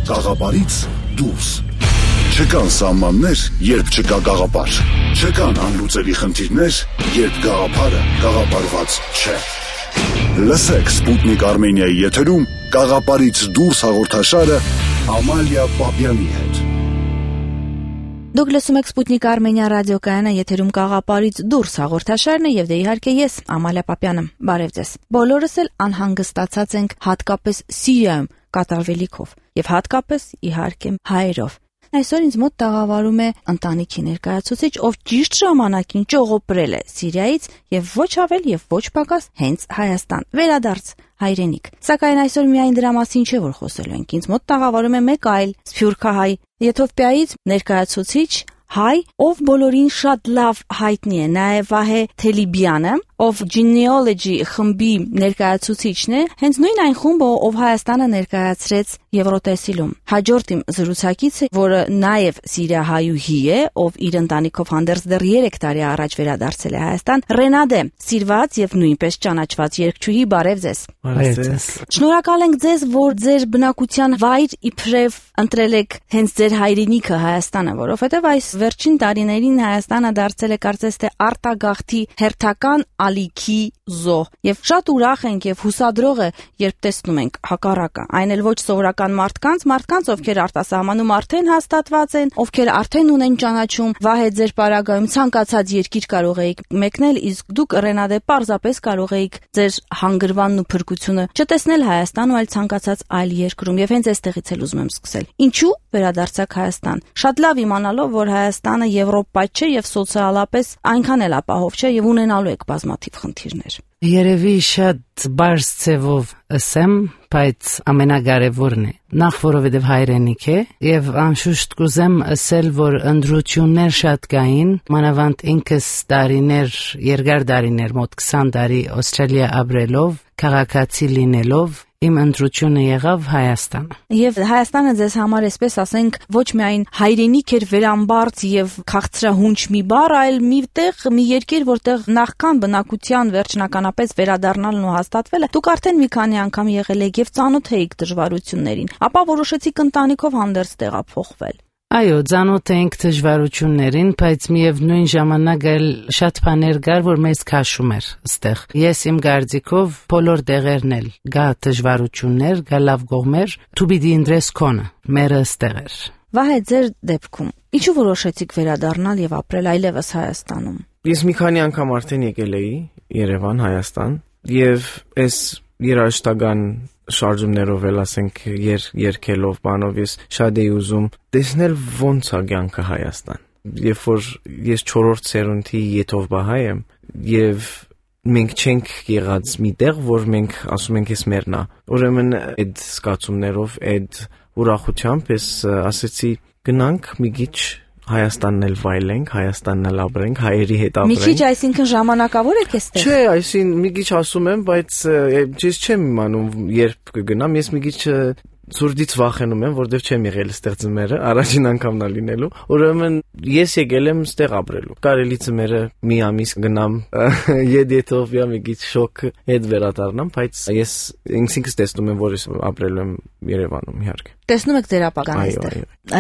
Գաղափարից դուրս։ Չկան սահմաններ, երբ չկա գաղափար։ Չկան անլուծելի խնդիրներ, երբ գաղափարը գաղափարված չէ։ Լսեք Սպուտնիկ Արմենիայի եթերում Գաղափարից դուրս հաղորդաշարը Ամալիա Պապյանի հետ։ Դուք լսում եք Սպուտնիկ Արմենիա ռադիոկայանը, եթերում Գաղափարից դուրս հաղորդաշարն է եւ դե իհարկե ես Ամալիա Պապյանը։ Բարև ձեզ։ Բոլորս էլ անհանգստացած ենք հատկապես Սիրիայում կատարվելիքով եւ հատկապես իհարկե հայերով։ Այսօր ինձ մոտ տաղավարում է ընտանիքի ներկայացուցիչ, ով ճիշտ ժամանակին ճողոպրել է Սիրիայից եւ ոչ ավել եւ ոչ պակաս հենց Հայաստան, վերադարձ հայրենիք։ Սակայն այսօր միայն դրա մասին չէ, որ խոսելու ենք։ Ինձ մոտ տաղավարում է մեկ այլ սփյուռքահայ Եթովպիայից ներկայացուցիչ հայ, ով բոլորին շատ լավ հայտնի է, նաև Վահե Թելիբյանը, ով Genealogy խմբի ներկայացուցիչն է, հենց նույն այն խումբը, ով Հայաստանը ներկայացրեց Եվրոտեսիլում։ Հաջորդ իմ զրուցակիցը, որը նաև սիրիահայուհի է, ով իր ընտանիքով հանդերձ դեռ 3 տարի առաջ վերադարձել է Հայաստան, Ռենադե, սիրված եւ նույնպես ճանաչված երգչուհի, բարև ձեզ։ Բարև ձեզ։ Շնորհակալ ենք ձեզ, որ ձեր բնակության վայր իբրև ընտրել եք հենց ձեր հայրենիքը Հայաստանը, որովհետեւ այս վերջին տարիներին Հայաստանը դարձել է կարծես թե արտագաղթի հերթական ալիքի զոհ եւ շատ ուրախ ենք եւ հուսադրող է, երբ տեսնում ենք հակառակը, այն էլ ոչ սովորական մարդկանց, ովքեր արտասահմանում արդեն հաստատված են, ովքեր արդեն ունեն ճանաչում, Վահե ձեր պարագայում ցանկացած երկիր կարող էիք մեկնել, իսկ դուք Ռենադե պարզապես կարող էիք ձեր հանգրվանն ու փրկությունը չտեսնել Հայաստանում, այլ ցանկացած այլ երկրում եւ հենց այստեղից էլ ուզում եմ սկսել։ Ինչու վերադարձաք Հայաստան։ Շատ լավ իմանալով, որ Հայաստանը Եվրոպա չէ եւ սոցիալապես այնքան էլ ապահով չէ եւ ունենալու եք բազմաթիվ խնդիրներ։ Երևի շատ բարձ ձևով ասեմ, բայց ամենակարևորն է։ Նախ որովհետև հայրենիք է եւ անշուշտ կուզեմ ասել, որ ընդրություններ շատ կային, մանավանդ ինքս երկար տարիներ, մոտ 20 տարի Ավստրալիա ապրելով, քաղաքացի լինելով, իմ ընտրությունը եղավ Հայաստանը։ Եվ Հայաստանը ձեզ համար, այսպես ասենք, ոչ միայն հայրենիք էր վերամբարձ եւ քաղցրահունչ մի բառ, այլ մի երկիր, որտեղ նախքան բնակության վերջնականապես վերադառնալն ու հաստատվելը, դուք արդեն մի քանի անգամ եղել եք եւ ծանոթ էիք դժվարություններին, ապա որոշեցիք ընտանիքով հանդերձ տեղափոխվել։ Այո, ծանոթ ենք դժվարություններին, բայց միևնույն ժամանակ էլ շատ բաներ կար, որ մեզ քաշում էր այստեղ։ Ես իմ կարծիքով բոլոր տեղերն էլ կա դժվարություններ, կա լավ կողմեր, դու պիտի ընտրես քոնը, մերը այստեղ էր։ Վահե, ձեր դեպքում ինչու որոշեցիք վերադառնալ եւ ապրել այլևս Հայաստանում։ Ես մի քանի անգամ արդեն եկել էի Երևան, Հայաստան, եւ այս երաժշտական շարժումներով էլ ասենք երկելով բանով ես շատ էի ուզում տեսնել ոնց է կյանքը Հայաստան։ Երբ որ ես 4-րդ սերունդի եթովպահայ եմ եւ մենք չենք եղած մի տեղ, որ մենք ասում ենք էս մերն է։ Ուրեմն այդ զգացումներով, այդ ուրախությամբ ես ասեցի գնանք մի քիչ Հայաստանն էլ վայելենք, Հայաստանն էլ ապրենք, հայերի հետ ապրենք։ Մի քիչ այսինքն ժամանակավոր եք էստեղ։ Չէ, այսինքն մի քիչ ասում եմ, բայց ես չեմ իմանում երբ կգնամ, ես մի քիչ Սուրդից վախենում եմ, որովհետև չեմ եղել այստեղ ծմերը, առաջին անգամն է լինելու։ Ուրեմն ես եկել եմ այստեղ ապրելու։ Կարելի ծմերը մի ամիս գնամ Եթովպիա մի քիչ շոկ հետ վերադառնամ, բայց ես ինքս տեսնում եմ, որ ես ապրելու եմ Երևանում իհարկե։ Տեսնում եք ձեր ապագան այստեղ։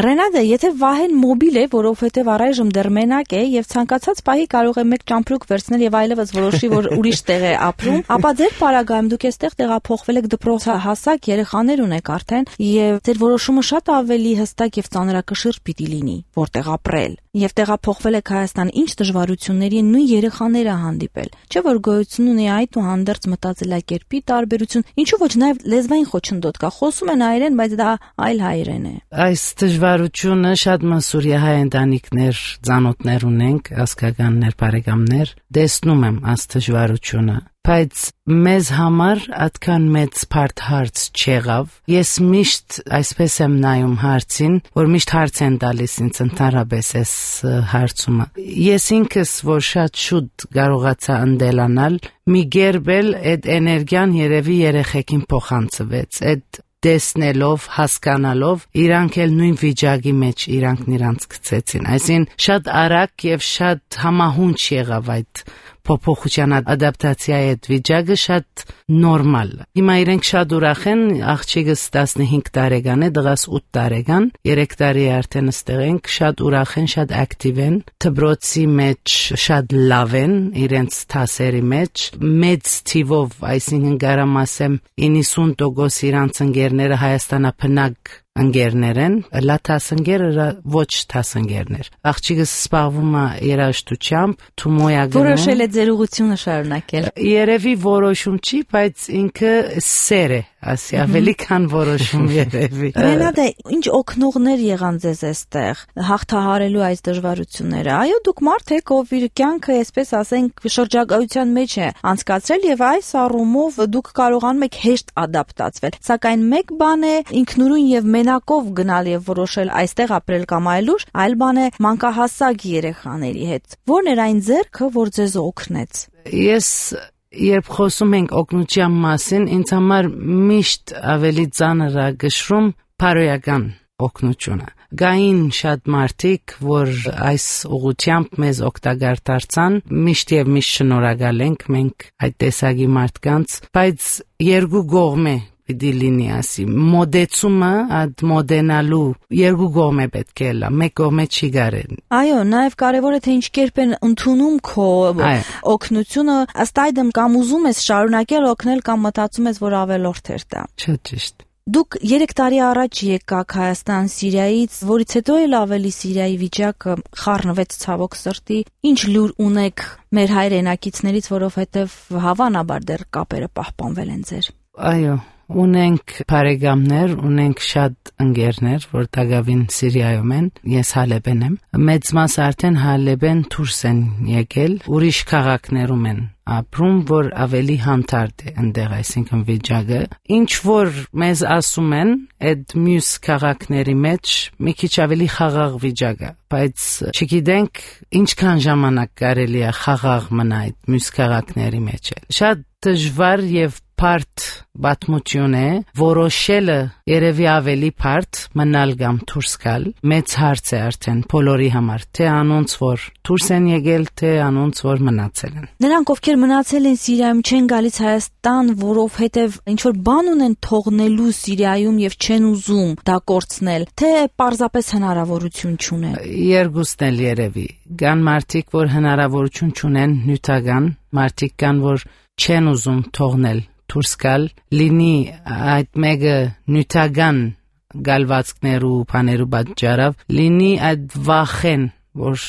Ռենադե, եթե Վահեն մոբիլ է, որովհետև առայժմ դեռ մենակ է եւ ցանկացած պահի կարող է մեկ ճամփրուկ վերցնել եւ այլևս որոշի, որ ուրիշ տեղ է ապրում, ապա ձեր պարագայում դուք այստեղ տեղափոխվել եք դպրոցահասակ երեխաներ ունեք արդեն եւ ձեր որոշումը շատ ավելի հստակ եւ ծանրակշիռ պիտի լինի, որտեղ ապրել։ Եվ տեղափոխվել եք Հայաստան, ինչ դժվարությունների նույն երեխաները հանդիպել։ Չէ՞ որ գոյություն ունի այդուհանդերձ մտածելակերպի տարբերություն, ինչու ոչ նաեւ լեզվային խոչընդոտ կա, խոսում են հայերեն, բայց դա այլ հայերեն է։ Այս դժվարությունը շատ մասուրյահայ ընտանիքներ, ծանոթներ ունենք, ազգականներ, բարեկամներ, տեսնում եմ այս դժվարությունը, բայց մեզ համար այդքան մեծ բարդ հարց չեղավ։ Ես միշտ այսպես եմ նայում հարցին, որ միշտ հարց են տալիս ինձ ընդհանրապես այս հարցումը։ Ես ինքս, որ շատ շուտ կարողացա ընդելանալ, մի գերբել այդ էներգիան երևի երեխեքին փոխանցվեց, այդ տեսնելով, հասկանալով, իրանք էլ նույն վիճակի մեջ իրանք նրանց գցեցին։ Այսինքն շատ արագ եւ շատ համահունչ եղավ այդ փոփոխության ադապտացիայի այդ վիճակը շատ նորմալ է։ Հիմա իրենք շատ ուրախ են, աղջիկս 15 տարեկան է, դղաս 8 տարեկան, 3 տարի է արդեն ստեղ ենք, շատ ուրախ են, շատ ակտիվ են, դպրոցի մեջ շատ լավ են, իրենց թասերի մեջ, մեծ թիվով, այսինքն կարամ ասեմ 90% իրանց ընկերները Հայաստանապնակ ընկերներ են, լաթասընկերը ոչ թասընկերներ։ Աղջիկս սպառվում է երաժշտությամբ, թումոյագն է։ Որոշել է ձեր ուղղությունը շարունակել։ Երևի որոշում չի, բայց ինքը սեր է, ասի ավելի քան որոշում երևի։ Մենադե, ինչ օգնողներ եղան ձեզ այստեղ հաղթահարելու այս դժվարությունները։ Այո, դուք մարդ եք, ով իր կյանքը, այսպես ասենք, շրջագայության մեջ է անցկացրել եւ այս առումով դուք կարողանում եք հեշտ ադապտացվել։ Սակայն մեկ բան է ինքնուրույն եւ մենակով գնալ եւ որոշել այստեղ ապրել կամ այլուր, այլ բան է մանկահասակ երեխաների հետ։ Որն էր այն ձեռքը, որ ձեզ օգնեց։ Ես երբ խոսում ենք օգնության մասին, ինձ համար միշտ ավելի ծանր է գշրում բարոյական օգնությունը։ Գային շատ մարդիկ, որ այս ուղղությամբ մեզ օգտակար դարձան, միշտ եւ միշտ շնորհակալ ենք մենք այդ տեսակի մարդկանց, բայց երկու կողմ է պիտի լինի, ասի մոդեցումը այդ մոդենալու երկու կողմ է պետք է լա, մեկ կողմը չի կարելի։ Այո, նաև կարևոր է թե ինչ կերպ են ընդունում քո օգնությունը, ըստ այդմ կամ ուզում ես շարունակել օգնել կամ մտածում ես, որ ավելորդ էր դա։ Շատ ճիշտ։ Դուք 3 տարի առաջ եկաք Հայաստան Սիրիայից, որից հետո էլ ավելի Սիրիայի վիճակը խառնվեց ցավոք սրտի։ Ինչ լուր ունեք մեր հայրենակիցներից, որովհետև հավանաբար դեռ կապերը պահպանվել են ձեր։ Այո, ունենք բարեկամներ, ունենք շատ ընկերներ, որ դակավին Սիրիայում են, ես Հալեբեն եմ։ Մեծ մասը արդեն Հալեբեն դուրս են եկել, ուրիշ քաղաքներում են ապրում, որ ավելի հանդարտ է ընդեղ, այսինքն վիճակը։ Ինչ որ մեզ ասում են, այդ մյուս քաղաքների մեջ մի քիչ ավելի խաղաղ վիճակ է, բայց չգիտենք ինչքան ժամանակ կարելի է խաղաղ մնա այդ մյուս քաղաքների մեջ։ Շատ դժվար եւ բարդ պատմություն է, որոշելը երևի ավելի բարդ մնալ կամ դուրս գալ։ Մեծ հարց է արդեն բոլորի համար, թե անոնց որ դուրս են եկել, թե անոնց որ մնացել են։ Նրանք ովքեր մնացել են Սիրիայում չեն գալիս Հայաստան, որովհետև ինչ որ բան ունեն թողնելու Սիրիայում եւ չեն ուզում դա կորցնել, թե պարզապես հնարավորություն չունեն։ Երկուսն էլ երևի։ Կան մարդիկ, որ հնարավորություն չունեն նյութական, մարդիկ կան, որ չեն ուզում թողնել դուրս գալ, լինի այդ մեկը նյութական գալվածքներու, բաներու պատճառով, լինի այդ վախեն, որ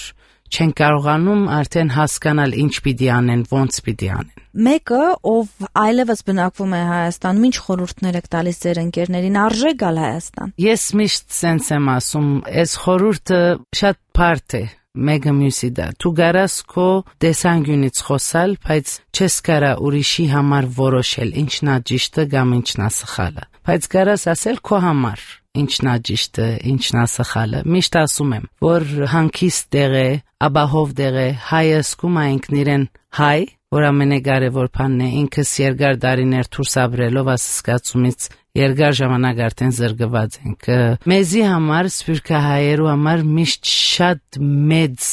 չեն կարողանում արդեն հասկանալ ինչ պիտի անեն, ոնց պիտի անեն։ Մեկը, ով այլևս բնակվում է Հայաստանում, ինչ խորհուրդներ եք տալիս ձեր ընկերներին, արժե գալ Հայաստան։ Ես միշտ սենց եմ ասում, այս խորհուրդը շատ բարդ է։ Մեկը մյուսի դա։ Դու կարաս քո տեսանկյունից խոսալ, բայց չես կարա ուրիշի համար որոշել ինչն է ճիշտը կամ ինչն է սխալը։ Բայց կարաս ասել քո համար ինչն է ճիշտը, ինչն է սխալը։ Միշտ ասում եմ, որ հանգիստ տեղ է, ապահով տեղ է, հայը զգում է ինքն իրեն հայ, որ ամենակարևոր բանն է, ինքս երկար տարիներ դուրս ապրելով ասկացումից երկար ժամանակ արդեն զրկված ենք։ Մեզի համար, սփյուռքահայերու համար միշտ շատ մեծ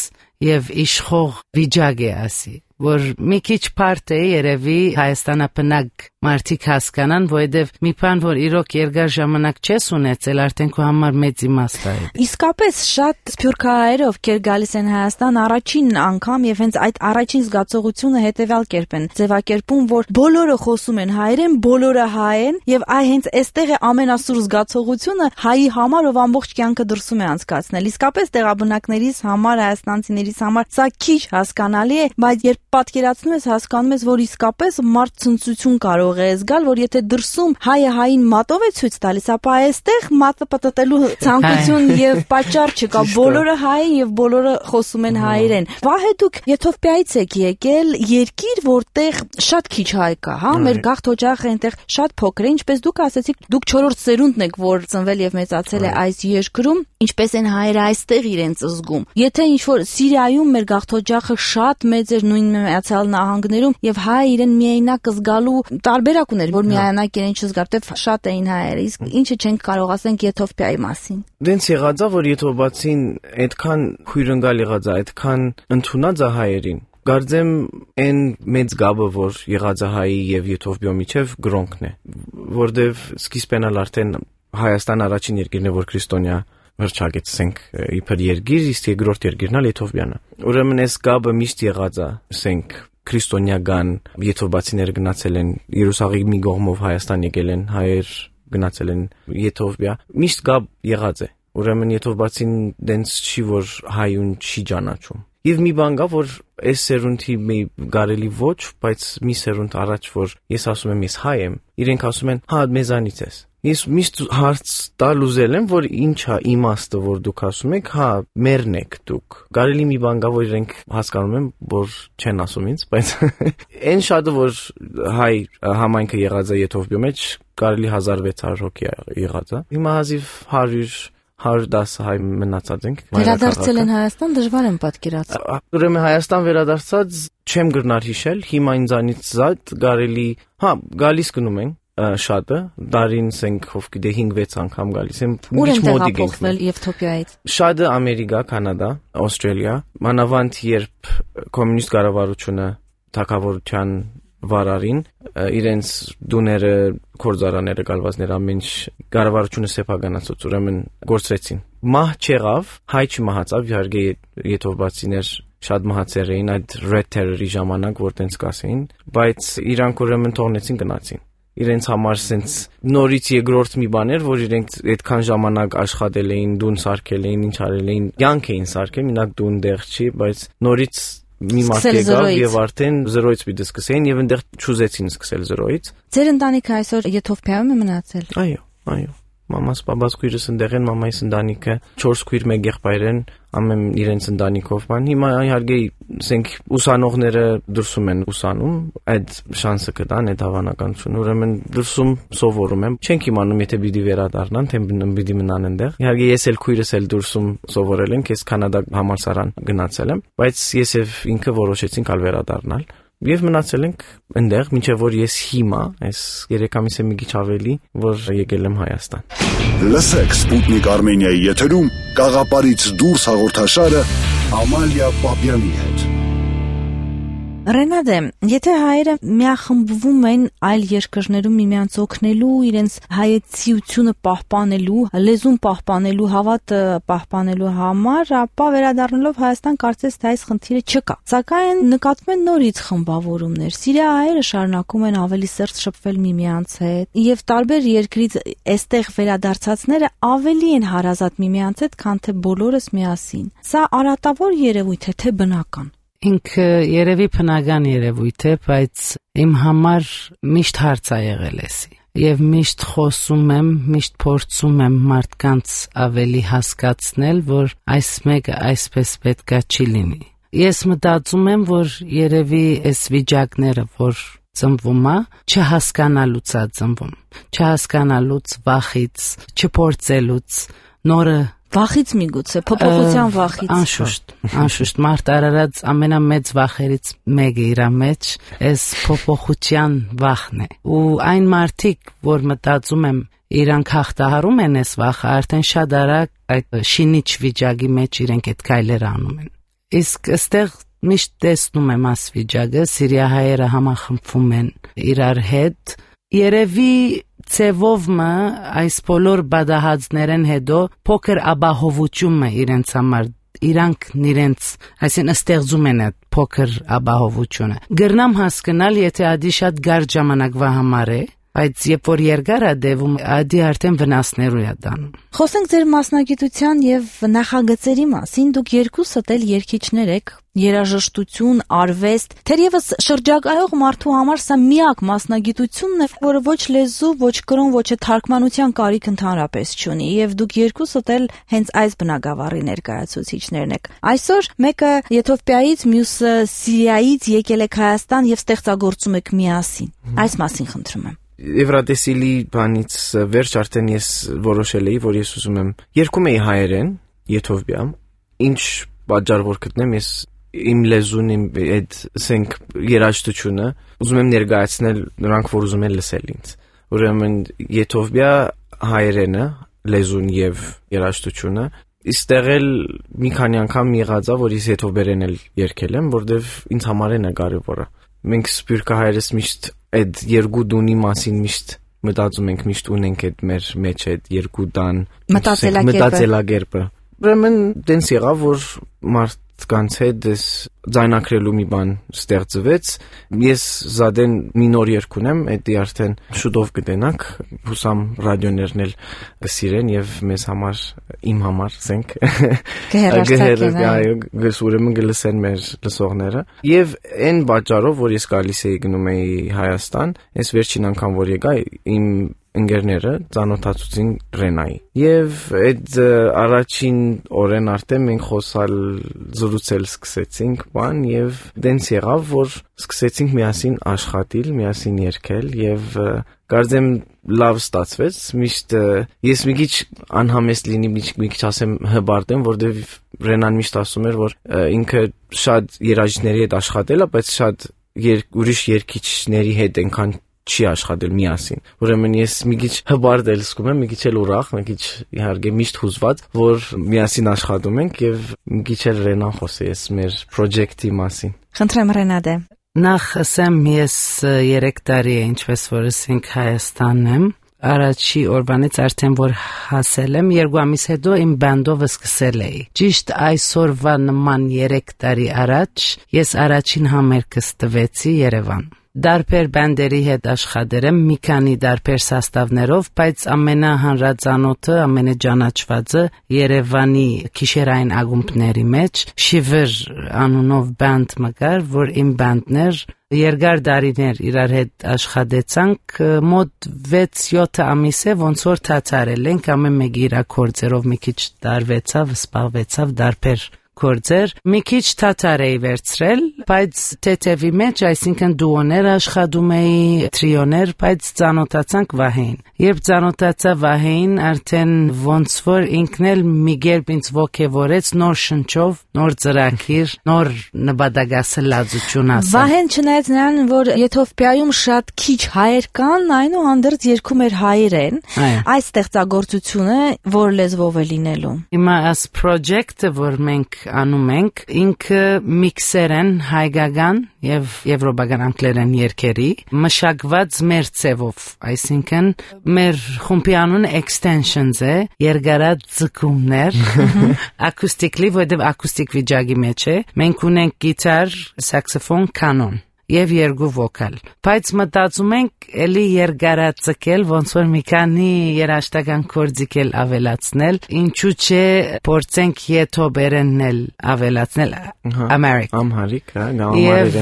եւ իշխող վիճակ է, ասի, որ մի քիչ բարդ է երևի Հայաստանապնակ մարդիկ հասկանան, որովհետև մի բան, որ իրոք երկար ժամանակ չես ունեցել, արդեն քո համար մեծ իմաստ է։ Իսկապես շատ սփյուռքահայեր, ովքեր գալիս են Հայաստան առաջին անգամ եւ հենց այդ առաջին զգացողությունը հետեւյալ կերպ են ձևակերպում, որ բոլորը խոսում են հայերեն, բոլորը հայ են եւ հենց այստեղ է ամենասուր զգացողությունը հայի համար, ով ամբողջ կյանքը դրսում է անցկացնել։ Իսկապես տեղաբնակներից համար, հայաստանցիներից համար սա քիչ հասկանալի է, բայց երբ պատկերացնում ես, հասկանում ես, որ իսկապես մարդ ցնծություն կարող է զգալ, որ եթե դրսում հայը հային մատով է ցույց տալիս, ապա այստեղ մատը պատտելու ցանկություն եւ պատճառ չկա, բոլորը հայ են եւ բոլորը խոսում են հայերեն։ Վահե դուք Եթովպիայից եք եկել, երկիր, որտեղ շատ քիչ հայ կա, հա, մեր գաղթ օջախը այնտեղ շատ փոքր է, ինչպես դուք ասացիք, դուք 4-րդ սերունդն եք, որ ծնվել եւ մեծացել է այս երկրում, ինչպես են հայերը այստեղ իրենց զգում։ Եթե ինչ որ Սիրիայում մեր գաղթ օջախը շատ մեծ էր, նույն Միացյալ Նահանգներում եւ հայ իրեն միայնակ զգալու տարբերակ ուներ, որ միայնակ իրեն չզգար, դե շատ էին հայերը, իսկ ինչը չենք կարող ասենք Եթովպիայի մասին։ Դենց եղած է, որ եթովպացին այդքան քույրընկալ եղած է, այդքան ընդունած է հայերին, Կարծեմ այն մեծ գաբը, որ եղած է հայի եւ եթովպիո միջև գրոնքն է, որտեվ սկիզբն էլ արդեն Հայաստան առաջին երկիրն է, որ քրիստոնյա հռչակեցենք իբր երկիր, իսկ երկրորդ երկիրն էլ Եթովպիան է։ Ուրեմն այս գաբը միշտ եղած է, ասենք քրիստոնյական եթովպացիները գնացել են Երուսաղեմի կողմով Հայաստան եկել են, հայեր գնացել են Եթովպիա, միշտ գաբ եղած է։ Ուրեմն եթովպացին դենց չի, որ հայուն չի ճանաչում։ Եվ մի բան կա, որ այս սերունդի մի գարելի ոչ, բայց մի սերունդ առաջ, որ ես ասում եմ ես հայ եմ, իրենք ասում են հա մեզանից ես։ Ես միշտ հարց տալ ուզել եմ, որ ինչ է իմաստը, որ դուք ասում եք, հա մերն եք դուք։ Գարելի մի բան կա, որ իրենք հասկանում են, որ չեն ասում ինձ, բայց այն շատը, որ հայ համայնքը եղած է Եթովպիո մեջ, կարելի 1600 հոգի եղած է։ Հիմա հազիվ 110 հայ մնացած ենք։ Վերադարձել են Հայաստան, դժվար եմ պատկերացնել։ Ուրեմն Հայաստան վերադարձած չեմ գրնար հիշել, հիմա ինձանից զատ կարելի, հա, գալիս գնում են շատը, դարին սենք ով գիտե 5-6 անգամ գալիս են։ Ուր են տեղափոխվել Եթովպիայից։ Շատը Ամերիկա, Կանադա, Ավստրալիա, մանավանդ երբ կոմունիստ կառավարությունը թագավորության վարարին իրենց դուները, կորձարաները, գալվածները ամեն ինչ կառավարությունը սեփականացուց, ուրեմն գործրեցին։ Մահ չեղավ, հայ չմահացավ, իհարկե եթովպացիներ շատ մահացել էին այդ Red Terror-ի ժամանակ, որ տենց կասեին, բայց իրանք ուրեմն թողնեցին գնացին։ Իրենց համար սենց նորից երկրորդ մի բան էր, որ իրենք այդքան ժամանակ աշխատել էին, դուն սարքել էին, ինչ արել էին, յանք էին սարքել, մինակ դուն դեղ չի, բայց նորից մի մարդ եկավ եւ արդեն 0-ից պիտի սկսեին եւ այնտեղ չուզեցին սկսել 0-ից։ Ձեր ընտանիքը այսօր Եթովպիայում է մնացել։ Այո։ Մամաս, պապաս քույրս ընդեղ են, մամայիս ընտանիքը 4 քույր, 1 եղբայր են, ամեն իրենց ընտանիքով բան։ Հիմա իհարկե ասենք ուսանողները դրսում են ուսանում, այդ շանսը կտան, այդ հավանականությունը, ուրեմն դրսում սովորում են։ Չենք իմանում, եթե պիտի վերադառնան, թե պիտի մնան այնտեղ։ Իհարկե ես էլ քույրս էլ դրսում սովորել ենք, ես Կանադա համալսարան գնացել եմ, բայց ես եւ ինքը որոշեցինք ալ վերադառնալ։ Եվ մնացել ենք այնտեղ, մինչև որ ես հիմա, այս 3 ամիս է մի քիչ ավելի, որ եկել եմ Հայաստան։ Լսեք Սպուտնիկ Արմենիայի եթերում Կաղապարից դուրս հաղորդաշարը Ամալիա Պապյանի հետ։ Ռենադե, եթե հայերը միախմբվում են այլ երկրներում միմյանց օգնելու, իրենց հայեցիությունը պահպանելու, լեզուն պահպանելու, հավատը պահպանելու համար, ապա վերադառնալով Հայաստան կարծես թե այս խնդիրը չկա։ Սակայն նկատվում են նորից խմբավորումներ։ Սիրիա հայերը շարունակում են ավելի սերտ շփվել միմյանց հետ, եւ տարբեր երկրից այստեղ վերադարձածները ավելի են հարազատ միմյանց հետ, քան թե բոլորս միասին։ Սա արատավոր երևույթ է, թե բնական։ Ինքը երևի բնական երևույթ է, բայց իմ համար միշտ հարց ա եղել էսի։ Եվ միշտ խոսում եմ, միշտ փորձում եմ մարդկանց ավելի հասկացնել, որ այս մեկը այսպես պետքա չի լինի։ Ես մտածում եմ, որ երևի այս վիճակները, որ ծնվում է, չհասկանալուց է ծնվում, չհասկանալուց, վախից, չփորձելուց, նորը Վախից միգուցե, փոփոխության վախից։ Անշուշտ, մարդ արարած ամենամեծ վախերից մեկը իր մեջ այս փոփոխության վախն է։ Ու այն մարդիկ, որ մտածում եմ իրանք հաղթահարում են այս վախը, արդեն շատ արագ այդ շինիչ վիճակի մեջ իրենք այդ քայլերը անում են։ Իսկ այստեղ միշտ տեսնում եմ այս վիճակը, սիրիահայերը համախմբվում են իրար հետ, երևի ծևով մը այս բոլոր բադահածներեն հետո փոքր ապահովություն է իրենց համար, իրանք իրենց, այսինքն ստեղծում են այդ փոքր ապահովությունը։ Գրնամ հասկանալ, եթե ադի շատ գար ժամանակվա համար է, բայց երբ որ երկար է դեվում, ադի արդեն վնասներու է դանում։ Խոսենք ձեր մասնագիտության եւ նախագծերի մասին, դուք երկուսդ էլ երգիչներ եք, երաժշտություն, արվեստ, թերևս շրջագայող մարդու համար սա միակ մասնագիտությունն է, որը ոչ լեզու, ոչ կրոն, ոչ թարգմանության կարիք ընդհանրապես չունի, եւ դուք երկուսդ էլ հենց այս բնագավառի ներկայացուցիչներն եք։ Այսօր մեկը Եթովպիայից, մյուսը Սիրիայից եկել եք Հայաստան եւ ստեղծագործում եք միասին։ Այս մասին խնդրում եմ։ Եվրատեսիլի բանից վերջ արդեն ես որոշել էի, որ ես ուզում եմ երկում էի հայերեն Եթովպիայում, ինչ պատճառ որ գտնեմ, ես իմ լեզուն, իմ այդ ասենք երաժշտությունը ուզում եմ ներկայացնել նրանք, որ ուզում են լսել ինձ։ Ուրեմն Եթովպիա հայերենը, լեզուն եւ երաժշտությունը Իստեղ էլ մի քանի անգամ եղած է, որ ես հետո բերեն էլ երկել եմ, որովհետև ինձ համար է կարևորը։ Մենք սփյուռքահայերս միշտ այդ երկու դունի մասին միշտ մտածում ենք, միշտ ունենք այդ մեր մեջ այդ երկու դան մտածելակերպը։ Ուրեմն դենս եղավ, որ մարդկանց հետ դες ձայնակրելու մի բան ստեղծվեց։ Ես զադեն մի նոր երգ ունեմ, դա արդեն շուտով կտենանք, հուսամ ռադիոներն էլ կսիրեն եւ մեզ համար, իմ համար, ասենք, ուրեմն կլսեն մեր լսողները։ Եվ այն պատճառով, որ ես գալիս էի գնում էի Հայաստան, այս վերջին անգամ որ եկա, իմ ընկերները ծանոթացուցին Ռենայի։ Եվ այդ առաջին օրեն արդեն մենք խոսալ զրուցել սկսեցինք բան եւ դենց եղավ, որ սկսեցինք միասին աշխատել, միասին երգել եւ կարծեմ լավ ստացվեց։ Միշտ ես մի քիչ անհամեստ լինի, մի քիչ ասեմ հբարտեմ, որովհետեւ Ռենան միշտ ասում էր, որ ինքը շատ երաժիշտների հետ աշխատել է, բայց շատ ուրիշ երգիչների հետ այնքան չի աշխատել միասին։ Ուրեմն ես մի քիչ հբարտ եմ զգում, մի քիչ էլ ուրախ, մի քիչ իհարկե միշտ հուզված, որ միասին աշխատում ենք եւ մի քիչ էլ Ռենան խոսեց մեր պրոջեկտի մասին։ Խնդրեմ Ռենադե։ Նախ ասեմ, ես 3 տարի է ինչպես որ ասենք Հայաստանն եմ։ Առաջի օրվանից արդեն որ հասել եմ, 2 ամիս հետո իմ բանդով սկսել էի։ Ճիշտ այսօրվա նման 3 տարի առաջ ես առաջին համերգս տվեցի Երևան։ Դարբեր բանդերի հետ աշխատել եմ մի քանի դարբեր սաստավներով, բայց ամենահանրածանոթը, ամենաճանաչվածը Երևանի քիշերային ակումբների մեջ Շիվեր անունով բանդ մկար, որ իմ բանդներ երկար դարիներ իրար հետ աշխատեցանք, մոտ 6-7 ամիս է ոնց որ թացարել ենք, ամեն մեկի իր կորձերով մի քիչ տարվեցավ, սպաղվեցավ դարբեր կորձեր, մի քիչ թաթար էի վերցրել, բայց թեթևի մեջ, այսինքն դուոներ աշխատում էի, տրիոներ, բայց ծանոթացանք Վահեին։ Երբ ծանոթացա Վահեին, արդեն ոնց որ ինքն էլ մի կերպ ինձ ոգևորեց նոր շնչով, նոր ծրագիր, նոր նպատակասլացություն ասել։ Վահեն չնայած նրան, որ Եթովպիայում շատ քիչ հայեր կան, այնուհանդերձ երգում էր հայերեն, այս ստեղծագործությունը որ լեզվով է լինելու։ Հիմա այս պրոջեկտը, որ մենք անում ենք, ինքը միքսերեն հայկական եւ եվրոպական անգլերեն երգերի մշակված մեր ցևով, այսինքն մեր խումբի անունը extensions է, երկարաձգումներ, ակուստիկլի, որտեղ ակուստիկ վիճակի մեջ է, մենք ունենք գիտար, սաքսոֆոն, կանոն եւ երկու վոկալ, բայց մտածում ենք էլի երկարաձգել, ոնց որ մի քանի երաժշտական կորձիկել ավելացնել, ինչու՞ չէ փորձենք եթոբերեննել ավելացնել ամհարիկ, եւ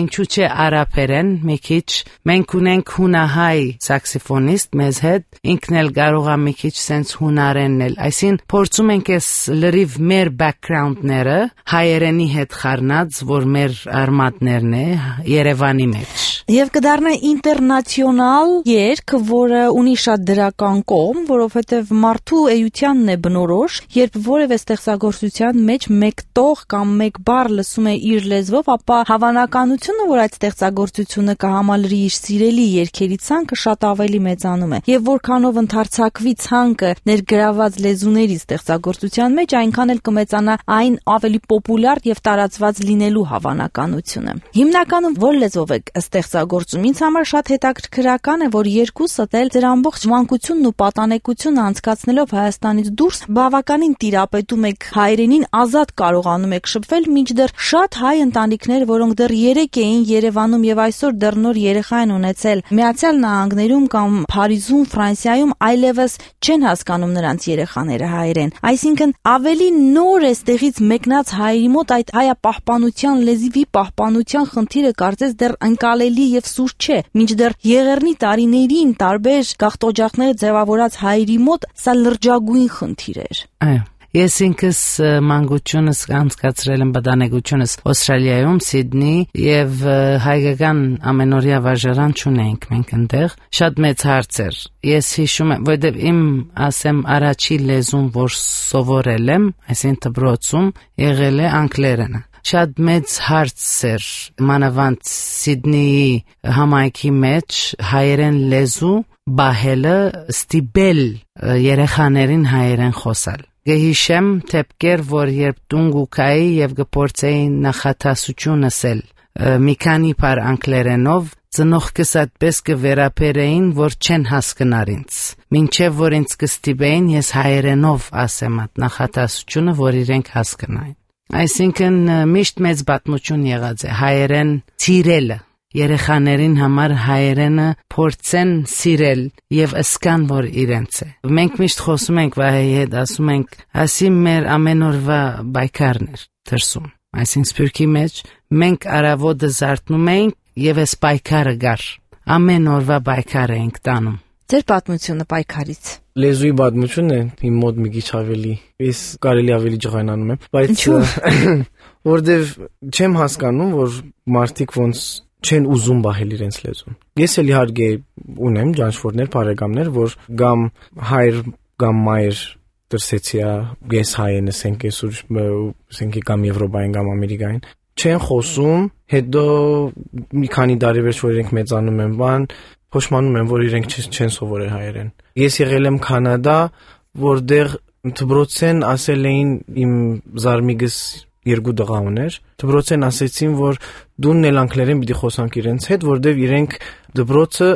ինչու՞ չէ արաբերեն մի քիչ, մենք ունենք հունահայ սաքսոֆոնիստ մեզ հետ, ինքն էլ կարող է մի քիչ sense հունարեննել, այսին փորձում ենք էս լրիվ մեր background-ները հայերենի հետ խառնած, որ մեր արմատներն է Երևանի մեջ։ Եվ կդառնա ինտերնացիոնալ երգ, որը ունի շատ դրական կողմ, որովհետև մարդու էությանն է բնորոշ, երբ որևէ ստեղծագործության մեջ մեկ տող կամ մեկ բառ լսում է իր լեզվով, ապա հավանականությունը, որ այդ ստեղծագործությունը կհամալրի իր սիրելի երգերի ցանկը, շատ ավելի մեծանում է։ Եվ որքանով ընդարձակվի ցանկը ներգրաված լեզուների ստեղծագործության մեջ, այնքան էլ կմեծանա այն ավելի պոպուլյար եւ տարածված լինելու հավանականությունը։ Հիմնականում որ լեզվով եք ստեղծագործում, ինձ համար շատ հետաքրքրական է, որ երկուսդ էլ ձեր ամբողջ մանկությունն ու պատանեկությունը անցկացնելով Հայաստանից դուրս բավականին տիրապետում եք հայրենին, ազատ կարողանում եք շփվել, մինչդեռ շատ հայ ընտանիքներ, որոնք դեռ 3 էին Երևանում եւ այսօր դեռ նոր երեխա են ունեցել Միացյալ Նահանգներում կամ Փարիզում, Ֆրանսիայում, այլևս չեն հասկանում նրանց երեխաները հայերեն։ Այսինքն ավելի նոր է ստեղից մեկնած հայերի մոտ այդ հայապահպանության, լեզվի պահպանության խնդիրը կարծես դեռ անկալելի եւ սուր չէ, մինչդեռ եղեռնի տարիներին տարբեր գաղթօջախներ ձևավորած հայերի մոտ սա լրջագույն խնդիր էր։ Այո, ես ինքս մանկությունս անցկացրել եմ պատանեկությունս Ավստրալիայում, Սիդնի եւ հայկական ամենօրյա վարժարան չունենք մենք այնտեղ, շատ մեծ հարց էր։ Ես հիշում եմ, որովհետեւ իմ ասեմ առաջի լեզուն, որ սովորել եմ, այսինքն դպրոցում եղել է անգլերենը։ Շատ մեծ հարց էր մանավանդ Սիդնեի համայնքի մեջ հայերեն լեզու բահելը ստիպել երեխաներին հայերեն խոսալ։ Գհիշեմ թեփկեր, որ երբ դունգուկայի եւ գփորձեի նախատասությունս էլ մի քանի բար անգլերենով ծնողքս այդպես կվերապերեին, որ չեն հասկնար ինձ։ Մինչև որ ինձ կստիպեին ես հայերենով ասեմ այդ նախատասությունը, որ իրենք հասկնային։ Այսինքն միշտ մեծ պատմություն եղած է հայերեն սիրելը։ Երեխաներին համար հայերենը փորձեն սիրել եւ ըսկան, որ իրենց է։ Մենք միշտ խոսում ենք վահեի հետ, ասում ենք, ասի մեր ամեն օրվա բայկարներ դրսում։ Այսինքն սփյուռքի մեջ մենք արավոտը զարթնում ենք եւ այս բայկարը գար։ Ամեն օրվա բայկար ենք տանում։ Ձեր պատմությունը պայքարից։ Լեզուի պատմությունն է իմ մոտ մի քիչ ավելի, ես կարելի ավելի ջղայնանում եմ, բայց որտեվ չեմ հասկանում, որ մարդիկ ոնց չեն ուզում բահել իրենց լեզուն։ Ես էլ իհարկե ունեմ ջանչվորներ, բարեկամներ, որ գամ հայր կամ մայր դրսեցիա, ես հայ եմ, ասենք ասենք կամ Եվրոպային կամ Ամերիկային, չեն խոսում, հետո մի քանի տարի վերջ որ իրենք մեծանում են, բան փոշմանում են, որ իրենք չեն սովորել հայերեն։ Ես եղել եմ Կանադա, որտեղ դպրոցեն ասել էին իմ զարմիգս երկու տղա ուներ, դպրոցեն ասեցին, որ դունն էլ անգլերեն պիտի խոսանք իրենց հետ, որտեղ իրենք դպրոցը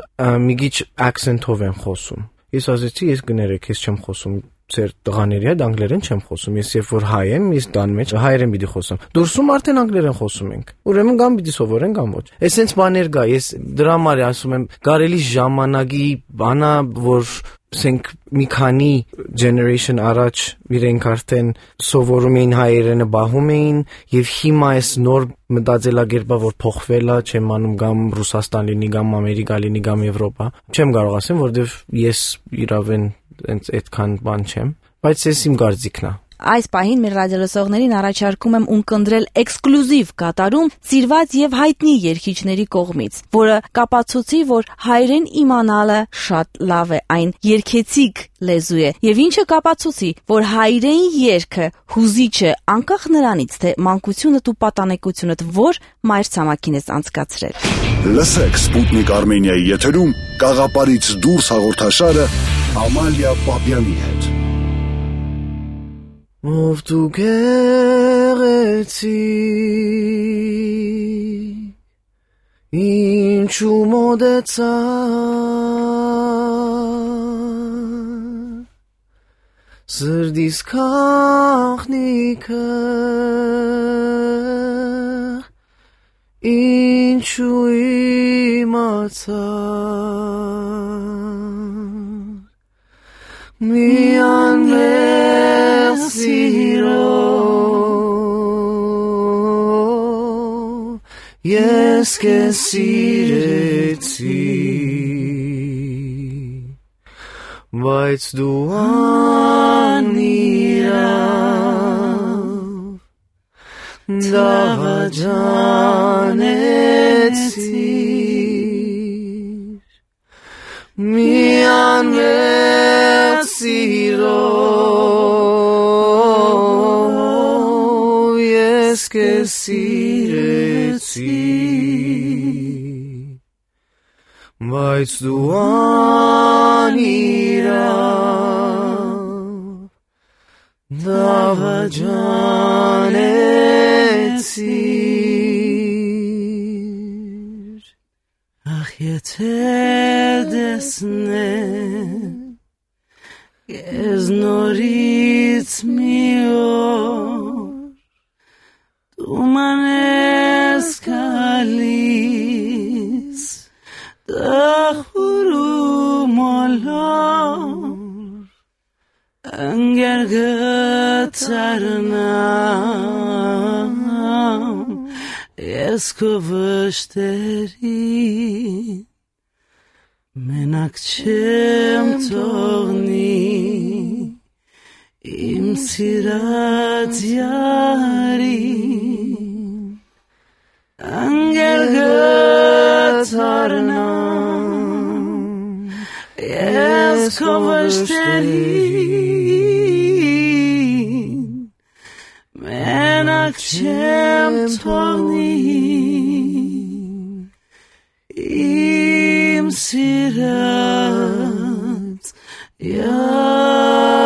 մի քիչ accent-ով են խոսում։ Ես ասեցի, ես կներեք, ես չեմ խոսում ձեր տղաների հետ անգլերեն չեմ խոսում, ես երբ որ հայ եմ, ես տան մեջ հայերեն պիտի խոսեմ։ Դուրսում արդեն անգլերեն խոսում ենք։ Ուրեմն կամ պիտի սովորեն կամ ոչ։ Էսենց բաներ կա, ես դրա համար ասում եմ, կարելի ժամանակի բանա, որ ասենք մի քանի generation առաջ իրենք արդեն սովորում էին հայերենը, բահում էին, եւ հիմա այս նոր մտածելակերպը, որ փոխվել է, չեմ անում կամ Ռուսաստան լինի, կամ Ամերիկա լինի, կամ Եվրոպա, չեմ կարող ասեմ, որովհետեւ ես իրավեն այդքան բան չեմ, բայց ես իմ կարծիքն է։ Այս պահին մեր ռադիոլսողներին առաջարկում եմ ունկնդրել էքսկլյուզիվ կատարում սիրված եւ հայտնի երգիչների կողմից, որը կապացուցի, որ հայերեն իմանալը շատ լավ է, այն երգեցիկ լեզու է, եւ ինչը կապացուցի, որ հայերեն երգը հուզիչ է, անկախ նրանից, թե մանկությունդ ու պատանեկությունդ որ մայրցամաքին ես անցկացրել։ Լսեք Սպուտնիկ Արմենիայի եթերում Կաղապարից դուրս հաղորդաշարը Ամալիա Պապյանի հետ։ Ով դու գեղեցի, ինչու մոտեցա, սրտիս քաղնիկը, ինչու իմացա, միան մեր սիրո, ես քեզ սիրեցի, բայց դու անիրավ դավաճանեցիր, միան մեր սիրո, ես քեզ սիրեցի, բայց դու անիրավ դավաճանեցիր, ախ եթե դեսնեմ ես նորից մի օր, դու մանես կալիս, դախուրու մոլոր, ընգեր գծարնամ, ես քո վշտերին, մենակ չեմ թողնի, իմ սիրած յարին, ընգեր գծարնամ, ես քո վշտերին, մենակ չեմ թողնի, իմ սիրած յարին։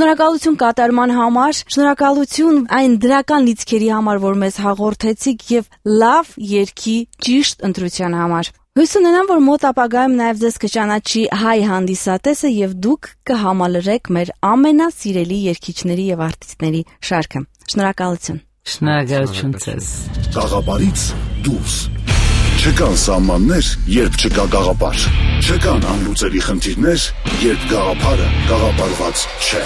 Շնորհակալություն կատարման համար, շնորհակալություն այն դրական լիցքերի համար, որ մեզ հաղորդեցիք եւ լավ երգի ճիշտ ընտրության համար։ Հույս ունենամ, որ մոտ ապագայում նաև ձեզ կճանաչի հայ հանդիսատեսը եւ դուք կհամալրեք մեր ամենասիրելի երգիչների եւ արտիստների շարքը։ Շնորհակալություն։ Շնորհակալություն ձեզ։ Գաղափարից դուրս։ Չկան սահմաններ, երբ չկա գաղափար։ Չկան անլուծելի խնդիրներ, երբ գաղափարը գաղափարված չէ։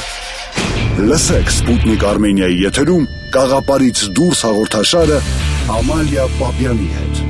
Լսեք Սպուտնիկ Արմենիայի եթերում Գաղափարից դուրս հաղորդաշարը Ամալիա Պապյանի հետ։